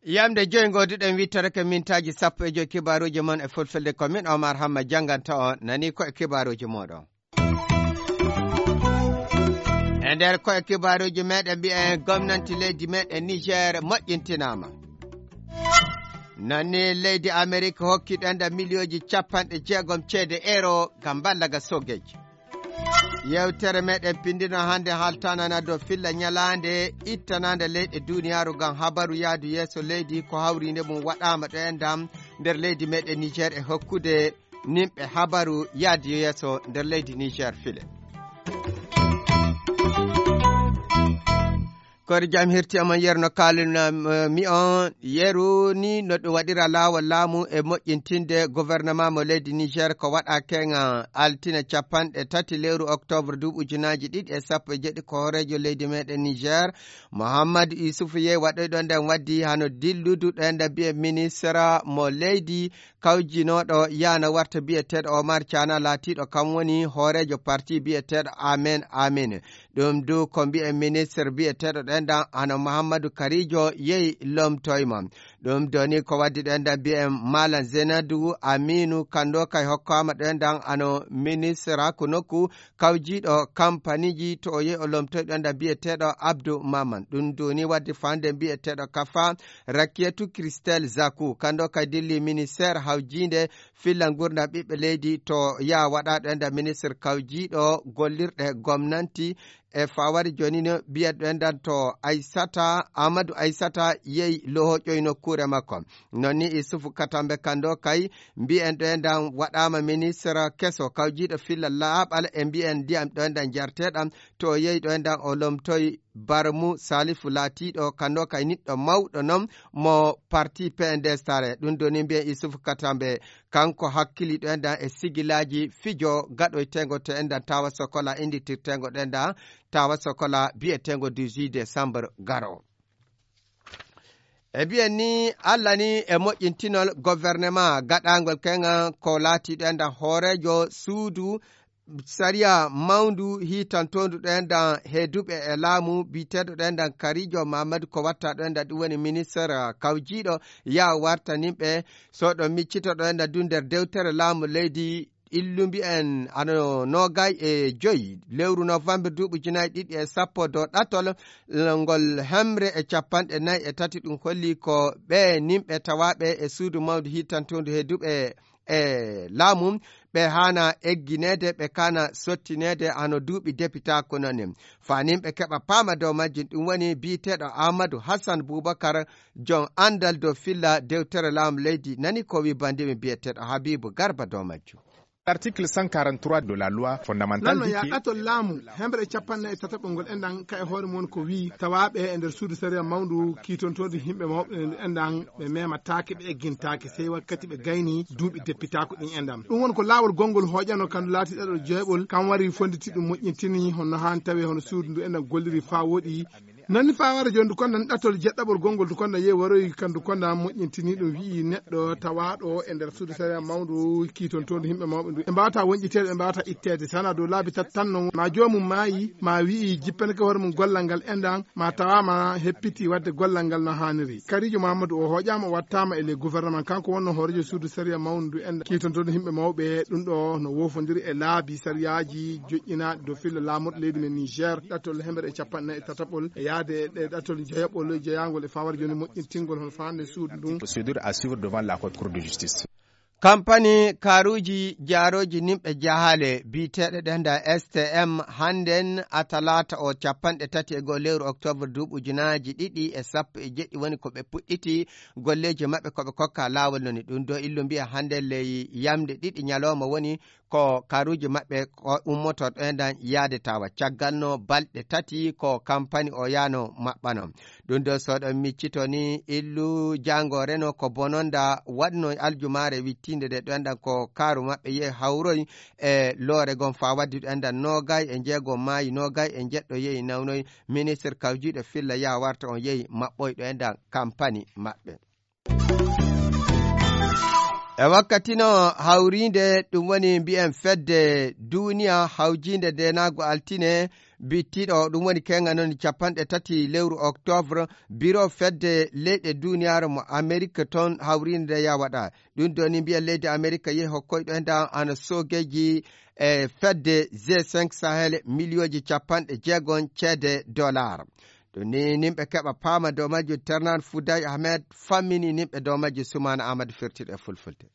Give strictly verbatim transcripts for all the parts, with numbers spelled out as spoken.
Yamde joyi ngoduɗen wittorake mintaaji sappo e joyi kibaaruuji mon e fulfulde, ko min Omar Hamma jannganta on. Nani ko e kibaaruuji mooɗon. E nder ko e kibaaruuji meɗen mbiyen gomnanti leydi meɗen Niger moƴƴintinaama. Nani leydi Amerik hokki ɗo enda miliyooji capanɗe jeegom ceede euro ngam mballa ga sogeji. Yewtere meɗen pindino hannde haltanana dow filla ñalaande ittanaande leyɗe duniyaaru ngam habaru yaadu yeeso leydi ko hawriinde mum waɗaama ɗo e ndam nder leydi meɗen Niger e hokkude nimɓe habaru yaadu yeeso nder leydi Niger file. Koori jam hirti e mon yeru no kaaluna mi on yeru ni no ɗum waɗira laawol laamu e moƴƴintinde gouvernement mo leydi Niger ko waɗa kenga altine capanɗe tati lewru octobre duuɓi ujunaaji ɗiɗi e sappo e jeɗɗi ko hooreejo leydi meɗen Niger Mouhamadou Issoufou Yey waɗoyɗo nden waddi hano dilludu ɗo enda mbiye ministre mo leydi kawjinooɗo yana warta biyeteeɗo Omar Cana laatiiɗo kam woni hooreejo parti biyeteeɗo Amen Amen. Ɗum du ko mbiyen ministre biyeteeɗo ɗo endan hano Mouhamadou Karijo yehi lomtoyma. Ɗum doni ko waddi ɗo endan mbiyen Malam Zenadu Aminu Kando kay hokkaama ɗo endan hano ministre hakku nokku kawjiiɗo kampaniji to o yehi o lomtoy ɗo endan mbiyeteeɗo Abdou Maman. Ɗum doni waddi fande mbiyeteeɗo Kafa Rakietu Christelle Zaku. Kando kay dilli ministère hawjiinde filla ngurdam ɓiɓɓe leydi to yaa waɗaaɗo enda ministre kawjiiɗo gollirɗe gomnanti e fawari jooni no mbiyeɗo endan to Aysata Amadou Aysata yehi lohoƴoy nokkuure makko. Non ni Isufu Katambe Kando kay mbiyen ɗo endan waɗaama ministre keso kawjiiɗo filla laaɓal e mbiyen ndiyam ɗo endan jarteɗam to o yehi ɗo endan o lomtoy Barmu Salifu laatiiɗo kando kay niɗɗo mawɗo non mo parti P N D S tare. Ɗum doni mbiyen Isufu Katambe kanko hakkiliiɗo endan e sigilaaji fijo gaɗoytengo to endan tawa sokola inditirtengo ɗo endan tawa sokola biyetengo dix-huit décembre garo. E mbiyen ni Allah ni e moƴƴintinol gouvernement gaɗangol kenga ko laatiiɗo endan hooreejo suudu sariya mawndu hiitantoondu ɗo endan he duɓe e laamu biyeteeɗo ɗo endan Karijo Mamadou ko watta ɗo endan ɗum woni ministre kawjiiɗo yaa wartaninɓe so ɗo miccito ɗo endan du nder dewtere laamu leydi illu mbiyen ano noogay e joyi lewru novembre duuɓi ujunaaji ɗiɗi e sappo dow ɗatol ngol hemre e capanɗe nayi e tati ɗum holli ko ɓe nimɓe tawaaɓe e suudu mawndu hiitantoondu he duɓe e laamu ɓe haana eggineede ɓe kaana sottineede hano duuɓi depitaaku noon ni faanin ɓe keɓa paama dow majjum ɗum woni biyeteeɗo Amadou Hassan Boubacar joom anndal dow filla dewtere laamu leydi nani ko wi banndimi biyeteeɗo Habibu Garba dow majjum. Article cent quarante-trois de la loi fondamentale nanno dit ya que ɗatol laamu hemre e capanɗe nayi e tataɓol ngol enɗan ka e hoore mum ko wi tawaaɓe e nder suudu sariya mawndu kiitontoondu yimɓe mawɓe enɗan ɓe memataake ɓe eggintaake sey wakkati ɓe gayni duuɓi deppitaaku ɗin enɗan ɗum won ko laawol gonngol hooƴano kan laati ɗaɗol jeeɓol kan wari fonditi ɗum moƴƴintini hono haani tawi hono suudu ndu enɗan golliri faa woɗi nanni faa wara jooni ndu konɗan ɗattol jeɗɗaɓol gonngol ndu konɗan yehi waroyi kan ndu konɗan moƴƴintini ɗum wi'i neɗɗo tawaaɗo e nder suudu sariya mawndu kiitontoondu yimɓe mawɓe ndu ɓe mbaawata wonƴiteede ɓe mbaawata itteede sana dow laabi tati tan non ma joomum maayi ma wi'i jippanike hoore mum gollal ngal enɗan ma tawaama heppiti waɗde gollal ngal no haaniri karijo mamadou o hooƴaama o wattaama e ley gouvernement kanko wonno hooreejo suudu sariya mawndu ndu enɗan kiitontoondu yimɓe mawɓe ɗum ɗo no woofondiri e laabi sariyaaji joƴƴinaaɗi dow filla laamorɗo leydi men niger ɗattol hemere e capanɗe nayi e tataɓol e yahde e ɗe ɗattol jeyaɓol jeyaangol e fawaade jooni moƴƴintingol hono faande suudu ndun procédure à suivre devant la haute cour de justice. Kampani kaaruuji jaarooji nimɓe jahaale biyeteeɗo ɗenda S T M hannden a talaata o capanɗe tati e goo lewru oktoobre duuɓi ujunaaji ɗiɗi e sappo e jeɗɗi woni ko ɓe puɗɗiti golleeji maɓɓe ko ɓe kokka laawol noni ɗum do illu mbiya hannden ley yamde ɗiɗi ñalooma woni ko karuuji maɓɓe ko ummoto ɗo enɗan yaade tawa caggal no balɗe tati ko kampani o yaano maɓɓano ɗum ɗo soɗo miccito ni illu jango reno ko bononda waɗno aljumaare wittinde de ɗo enɗan ko karu maɓɓe yehi hawroy e loore gon fa waddi ɗo enɗan nogay e jeego maayi nogay e jeɗɗo yehi nawnoy ministre kawjiɗo filla ya warta on yehi maɓɓoy ɗo enɗan kampani maɓɓe. E wakkati no hawriinde, ɗum woni mbiyen fedde duuniya hawjiinde ndeenaagu altine bittiiɗo, ɗum woni keŋa noon capanɗe tati lewru octobre, biro fedde leyɗe duuniyaaru mo Amerik toon hawriinde nde ya waɗa. Ɗum ɗo ni mbiyen leydi Amerik yehi hokkoyɗo e nda ana soogeeji e fedde G cinq Sahel miliyooji capanɗe jeegom ceede dollar. Ɗum ni nimɓe keɓa paama dow majjum. Ternan Fouday Ahmed fammini nimɓe dow majjum. Sumaana Amadou firtiiɗo e fulfulde.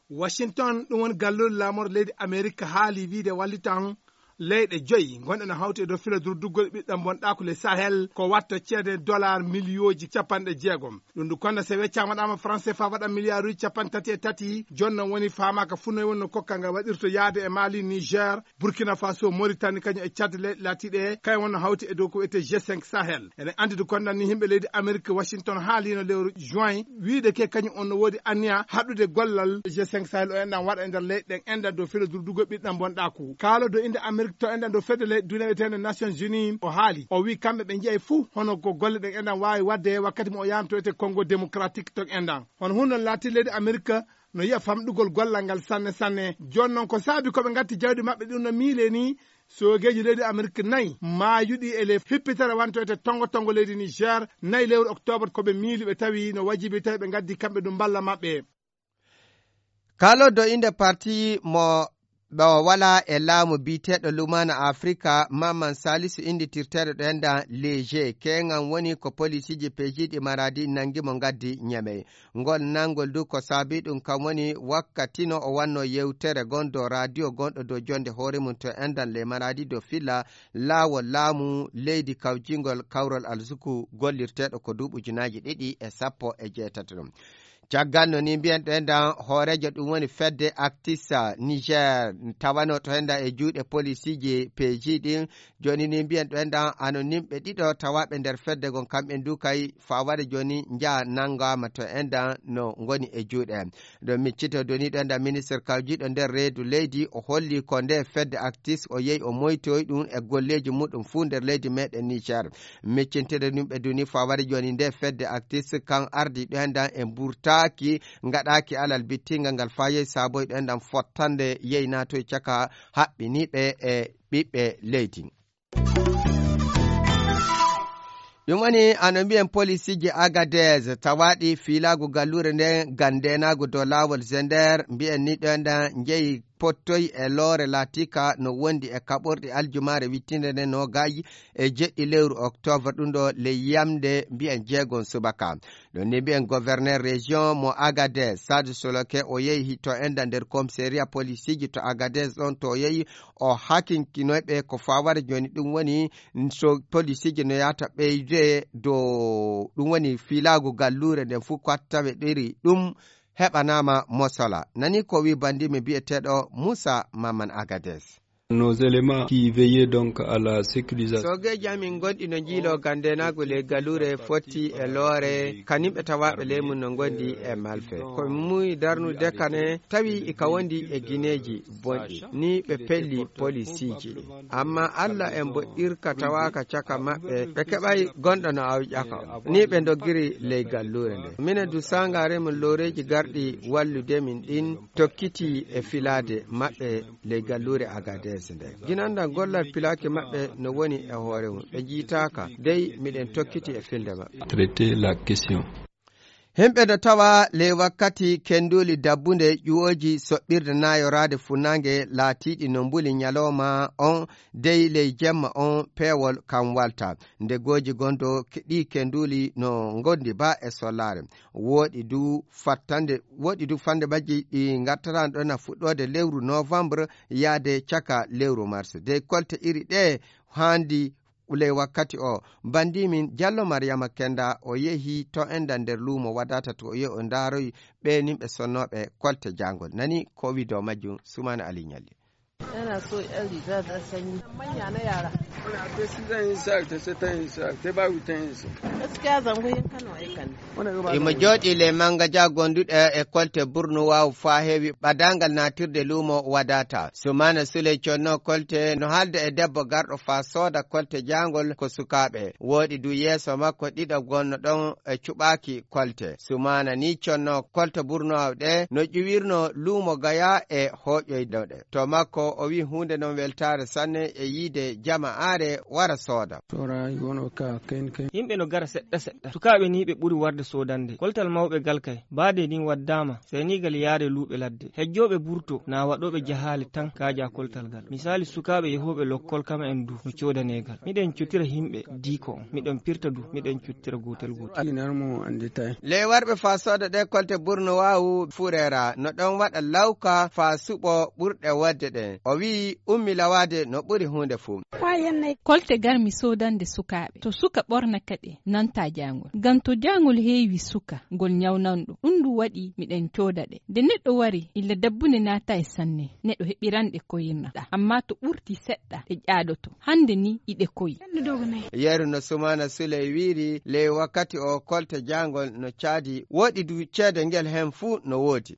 Washington, ɗum woni galluure laamorde leydi Amerik haali wiide wallitan leyɗe joyi ngonɗe no hawti e dow filo durduggol ɓiɗɗo bonɗaaku le Sahel ko watta ceede dollar miliyooji capanɗe jeegom. Ɗum ndu konda so weccaama waɗaama franc C F A waɗa miliyaaruuji capanɗe tati e tati. Jooni noon woni faamaaka fuu noy woni no kokka nga waɗirto yaade e Mali, Niger, Burkina Faso, Mauritanie, kañum e Tchad, leyɗe laatiiɗe kay wonno hawti e dow ko wiyetee G cinq Sahel. Ene anndi ndu konda ni yimɓe leydi Amerik, Washington haaliino lewru juin wiide ke kañum on no woodi anniya haɗude gollal G cinq Sahel o enɗan waɗa e nder leyɗe ɗen enɗan dow filo durdugo ɓiɗɗan bonɗaaku. Kaalo dow innde Amerik to enɗan dow fedde leyɗe duniya wiyeteende Nations Unies o haali. O wii kamɓe ɓe njiyay fuu hono ko golle ɗen enɗan waawi waɗde wakkati mo o yahanto wiyetee Congo Démocratique to enɗan. Hono hunde non laatii leydi Amerik no yiya famɗugol gollal ngal sanne sanne. Jooni noon ko saabi ko ɓe ngatti jawdi maɓɓe ɗum no miile ni soogeeji leydi Amerik nayi maayuɗi e ley hippitere wantoyte tongo tongo leydi Niger nayi lewru octobre ko ɓe miili ɓe tawi no wajibi tawi ɓe ngaddi kamɓe ɗum mballa maɓɓe. Kaaloodo innde parti mo ɓe o walaa e laamu biyeteeɗo Lumaana Afrika, Maman Salisu innditirteeɗo ɗo ennda Léger. Keeŋan woni ko polisiiji peejiiɗi Maradi nanngi mo ngaddi Ñamey. Ngol nanngol du ko saabii ɗum kam woni wakkati no o wannoo yewtere gonɗo radio gonɗo dow jonnde hoore mum to enndan le Maradi dow filla laawol laamu leydi kawjingol kawral Alzuku gollirteeɗo ko duuɓi ujunaaji ɗiɗi e sappo e jeetati ɗum. Caggal no ni mbiyen ɗo enndan hooreejo ɗum woni fedde Actis Niger tawano to enndan e juuɗe polisiiji peeji ɗin. Jooni ni mbiyen ɗo enndan ano nimɓe ɗiɗo tawaaɓe nder fedde gon kamɓe du kay fawade jooni njaha nanngaama to enndan no ngoni e juuɗe. Ɗo miccito doni ɗo enndan ministre kawjiiɗo nder reedu leydi o holli ko nde fedde Actis o yehi o moytoyi ɗum e golleeji muɗum fuu nder leydi meɗen Niger. Miccintede ɗum ɓe duni fawade jooni nde fedde Actis kan ardi ɗo enndan e mburtaaki ngaɗaaki alal bittingal ngal faa yehi saaboyi ɗo enndan fottande yehi naatoyi caka haɓɓiniiɓe e ɓiɓɓe leydi. Ɗum woni ano mbiyen polisiiji Agadez tawaaɗi fiilaagu galluure nden ngam ndeenaagu dow laawol Zender mbiyen ni ɗo enndan njehi pottoyi e loore laatiika no wondi e kaɓorɗi aljumaare wittinde nde noogayi e jeɗɗi lewru octobre ɗum ɗo ley yamnde mbiyen jeegon subaka. Ɗon ni mbiyen gouverneur région mo Agadez Sadu Soloke o yehi to enndan nder commissariat polisiiji to Agadez ɗon to o yehi o hakinkinoyɓe ko fawata jooni ɗum woni so polisiiji no yahata ɓeyde dow ɗum woni fiilaagu galluure nden fuu ko tawe ɗiri ɗum heɓanaama mosola. Nani ko wi bandimi biyeteeɗo Moussa Maman Agadez. Nos éléments qui veillaient donc à la sécurisation. Soogeeji amin ngonɗi no njiiloo ganndenaagu ley galuure fotti e loore kanimɓe tawaaɓe ley mum no ngondi e malfe. Ko mi muuyi darnude kane tawi ika wondi e gineeji bonɗi ni ɓe pelli polisiiji. Amma Alla e mboɗɗirka tawaaka caka maɓɓe ɓe keɓay gonɗo no awƴaka on ni ɓe ndoggiri ley galluure nde. Minen du saangaare mum looreeji garɗi wallude min ɗin tokkiti e filaade maɓɓe ley galluure Agadez nde. Ginandan gollal pilaaki maɓɓe no woni e hoore mum ɓe njiitaaka dey miɗen tokkiti e filde maɓɓe. Traiter la question. Himɓe no tawa ley wakkati kenduli dabbunde ƴuwooji soɓɓirde naayoraade funnaange laatiiɗi no mbuli ñalooma on dey ley jemma on peewol kan walta. Nde gooji gonɗo ɗi kenduli no ngondi ba e sollaare. Woɗi du fattande woɗi du fande majji ɗi ngattatano ɗon a fuɗɗoode lewru novembre yaade caka lewru mars dey kolte iri ɗe haandi. Ley wakkati o bandimin jallo mariyama kenda o yehi to enda nder luumo wadata to o yehi o ndaaroyi ɓe nimɓe sonnooɓe kolte jangol nani ko wi dow majjum sumana ali ñalli. Yana so yan riga da sanyi. Manya na yara. Muna kai su zan yi sa ta sai ta yi sa ta ba wutan yi sa. Gaskiya zango yin Kano ai kan. Imo jooɗii ley mannga ja gonduɗo e kolte burnu waawu faa heewi ɓadaangal naatirde luumo wadaata. Sumaana Suley connoo kolte no haalda e debbo garɗo faa sooda kolte jaangol ko sukaaɓe. Wooɗi du yeeso makko ɗiɗo gonno ɗon e cuɓaaki kolte. Sumaana ni connoo kolte burnu waawu ɗe no ƴuwirno luumo Gaya e hooƴoyno ɗe. To makko o wi'i huunde non weltaare sanne e yiide jama'aare wara sooda. Tora yono ka ken ken. Yimɓe no gara seɗɗa seɗɗa. Sukaaɓe ni ɓe ɓuri warde soodande. Koltal mawɓe gal kay. Baade nin waddaama. Senigal yaade luuɓe ladde. Hejjooɓe burto na waɗooɓe jahaale tan kaaja koltal gal. Misaali sukaaɓe yehooɓe lokkol kam en du no coodaneegal. Miɗen cotira yimɓe diiko on. Miɗen pirta du. Miɗen cottira gootel gootel. Alinar mo andi tay. Ley warɓe faa sooda ɗe kolte burno waawu fureera. No ɗon waɗa lawka faa suɓo ɓurɗe wadde ɗen. O wi'i ummi lawaade no ɓuri huunde fuu. Kolte garmi soodande sukaaɓe. To suka ɓorna kaɗe, nanta jaangol. Ngam to jaangol heewi suka, ngol nyawnanɗo. Ɗum ɗum waɗi miɗen cooda ɗe. Nde neɗɗo wari, illa dabbunde naata e sanne, neɗɗo heɓiran ɗe koyirna. Ammaa to ɓurti seɗɗa, ɗe ƴaadoto. Hannde ni iɗe koyi. Yeru no Sumaana Suley wiiri, ley wakkati o kolte jaangol no caadi, woɗi du ceede ngel heen fuu no woodi.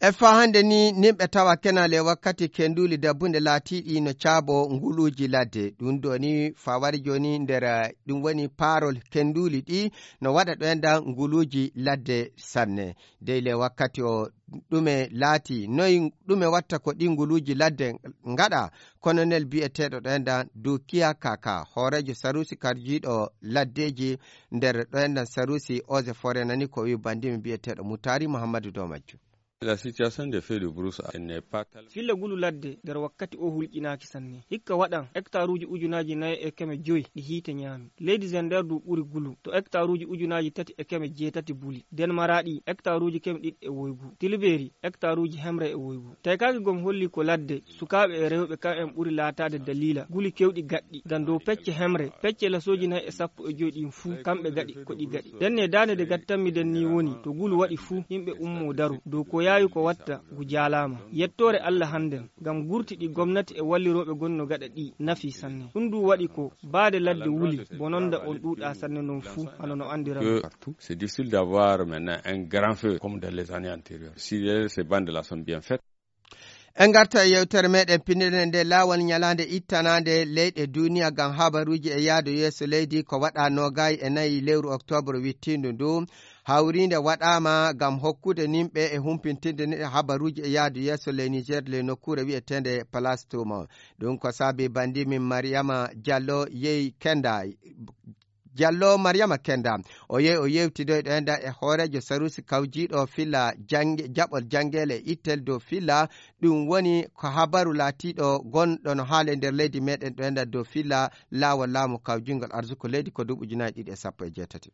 E faa hannde ni, nimɓe tawa kena ley wakkati kenduuli dabbunde laatiiɗi no caabo nguluuji ladde. Ɗum ɗo ni faa wari jooni nder, eh, ɗum woni paarol kenduuli ɗi no waɗa ɗo enda nguluuji ladde sanne. Dey ley wakkati o ɗume laati, noy ɗume watta ko ɗi nguluuji ladde ngaɗa? Kolonel biyeteeɗo ɗo enda Dukiya Kaka, hooreejo saruusi karjiiɗo laddeeji nder ɗo enda saruusi Eaux et Forêts nani ko wi'i bandimi biyeteeɗo Mutaari Muhammadu dow majjum. La situation des feux de brousse n'est pas telle. Filla ngulu ladde nder wakkati o hulƴinaaki sanne. Hikka waɗan hektaruuji ujunaaji nayi e keme joy ɗi hiite ñaami. Leydi Zender du ɓuri ngulu to hektaruuji ujunaaji tati e keme jeetati buli. Den Maraaɗi hektaruuji keme ɗiɗi e woygu. Tilbeeri hektaruuji hemre e woygu. Taykaaki gom holli ko ladde, sukaaɓe e rewɓe kam en ɓuri laataade daliila nguli kewɗi gaɗɗi. Ngam dow pecce hemre, pecce lasooji nayi e sappo e joy ɗin fuu, kamɓe gaɗi ko ɗi gaɗi. Denne daande de gattanmi den ni woni, to ngulu waɗi fuu, yimɓe ummoo daro. Dow ko yaawi ko watta, ngu jaalaama. Yettoore Alla hannden, ngam gurti ɗi gomnati e wallirooɓe gonno gaɗa ɗi, nafi sanne. Ɗum du waɗi ko, baade ladde wuli, bononda on ɗuuɗa sanne non fuu, hano no anndiran. Que partout, c'est difficile d'avoir maintenant un grand feu comme dans les années antérieures. Si les, ces bandes-là sont bien faites. En ngarta e yewtere meɗen pinndere nde laawol ñalaande ittanaande leyɗe duniya ngam habaruuji e yaadu yeeso leydi ko waɗa noogay e nayi lewru oktoobre wittiindu ndu. Hawriinde waɗaama ngam hokkude nimɓe e humpintinde ni habaruuji e yaadu yeeso ley Niger ley nokkuure wi'eteende Place Touma. Ɗum ko saabi banndi min Mariama Diallo yehi Kenda. Diallo Mariama Kenda, o yehi o yewtidoyɗo enda e hooreejo saruusi kawjiiɗo filla jannge-, jaɓol janngeele e ittel dow filla. Ɗum woni ko habaru laatiiɗo gonɗo no haala e nder leydi meɗen ɗo enda dow filla laawol laamu kawjingol arsuko leydi ko duuɓi ujunaaji ɗiɗi e sappo e jeetati.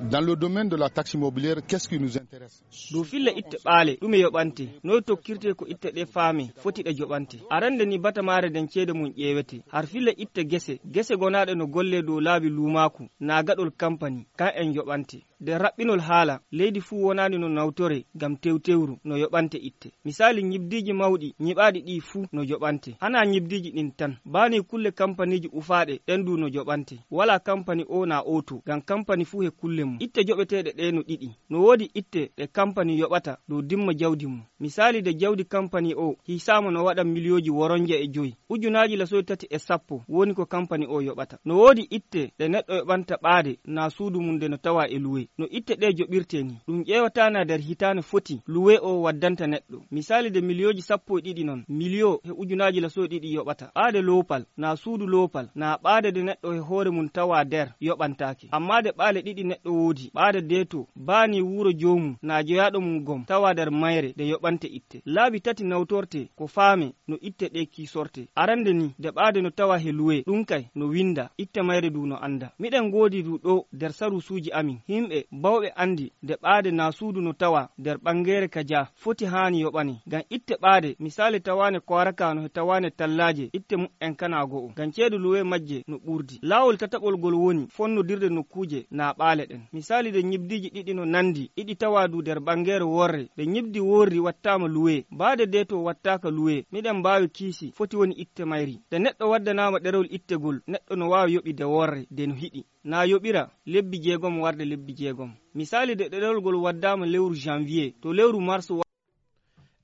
Dans le domaine de la taxe immobilière, qu'est-ce qui nous intéresse? Dow filla itte ɓaale, ɗume yoɓante? Noy tokkirte ko itte ɗe faame, foti ɗe joɓante? Arande ni batamaare nden ceede mum ƴeewete. Har filla itte gese, gese gonaaɗe no golle dow laabi luumaaku, naa gaɗol kampani, kan en yoɓante. Nder raɓɓinol haala, leydi fuu wonaani no nawtore ngam tewtewru no yoɓante itte. Misaali, ñibdiiji mawɗi ñiɓaaɗi ɗii fuu no joɓante. Hanaa ñibdiiji ɗin tan, baa nii kulle kampaniiji ufaaɗe ɗen du no joɓante. Walaa kampani oo naa oo too, ngam kampani fuu he kulle mum. Itte joɓeteeɗe ɗee no ɗiɗi. No woodi itte ɗe kampani yoɓata dow dimma jawdi mum. Misaali, de jawdi kampani oo hiisaama no waɗa miliyooji woronje e joy. Ujunaaji lasooji tati e sappo woni ko kampani oo yoɓata. No woodi itte ɗe neɗɗo yoɓanta ɓaade naa suudu mum nde no tawaa e luwe. No itte ɗee joɓirtee nii, ɗum ƴeewataa naa nder hitaande foti luwe oo waddanta neɗɗo. Misaali, de miliyooji sappo e ɗiɗi non, miliyoo he ujunaaji lasooji ɗiɗi yoɓata. Ɓaade loopal, naa suudu loopal, naa ɓaade de neɗɗo he hoore mum tawaa nder, yoɓantaake. Ammaa de ɓaale ɗiɗi neɗɗo woodi, ɓaade deeto, baa nii wuro joomum, naa jeyaaɗo mum gom, tawaa nder mayre, de yoɓante itte. Laabi tati nawtortee ko faame no itte ɗee kiisortee. Arande ni, de ɓaade no tawaa he luwe, ɗum kay no winnda, itte mayre du no annda. Miɗen ngoodi du ɗoo nder saruusuuji amin, himɓe bawɓe anndi de ɓaade naa suudu no tawaa nder ɓanngeere ka jaa, foti haani yoɓane. Ngam itte ɓaade, misaali tawaane Kowaraka no he tawaane Tallaaje, itte mu'en kanaa go'o. Ngam ceede luwe majje no ɓurdi. Laawol tataɓol ngol woni fonnodirde nokkuuje naa ɓaale ɗen. Misaali de ñibdiiji ɗiɗi no nanndi, iɗi tawaa du nder banngeere worre. De ñibdi worri wattaama luwe, baade de to wattaaka luwe, miɗen mbaawi kiisi foti woni itte mayri. De neɗɗo waddanaama ɗerewol ittegol, neɗɗo no waawi yoɓi de worre, de no hiɗi. Na yoɓira lebbi jeegom warde lebbi jeegom. Misaali de ɗerewol ngol waddaama lewru janvier, to lewru mars wa-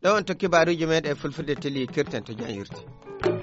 Ɗo on to kibaaruuji meɗen e fulfulde teli kirten to jam yurti.